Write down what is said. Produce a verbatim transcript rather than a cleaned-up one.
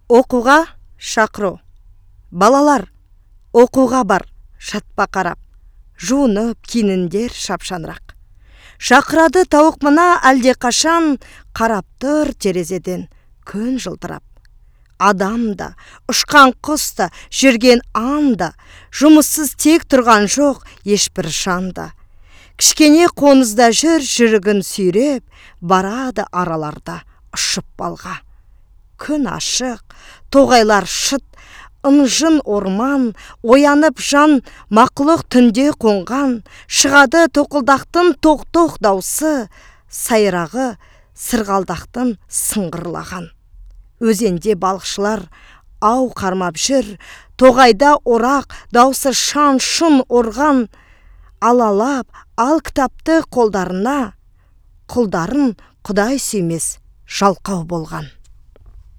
Оқуға шақыру. Балалар, оқуға бар, жатпа қарап. Жуынып, киініңдер шапшанырақ. Шақырады тауық мына әлде қашан, қарап тұр терезеден күн жылтырап. Адам да, ұшқан құс та, жүрген анда, жұмыссыз тек тұрған жоқ ешбір шанда. Кішкене қонызда жүр жүрігін сүйреп, барады араларда ұшып балға. Күн ашық, тоғайлар шыт, ынжын орман, оянып жан мақұлық түнде қонған, шығады тоқылдақтың тоқ-тоқ даусы, сайрағы сырғалдақтың сыңғырлаған. Өзенде балықшылар ау қармап жүр, тоғайда орақ даусы шан-шын орған, алалап ал кітапты қолдарына, құлдарын құдай сүймес жалқау болған.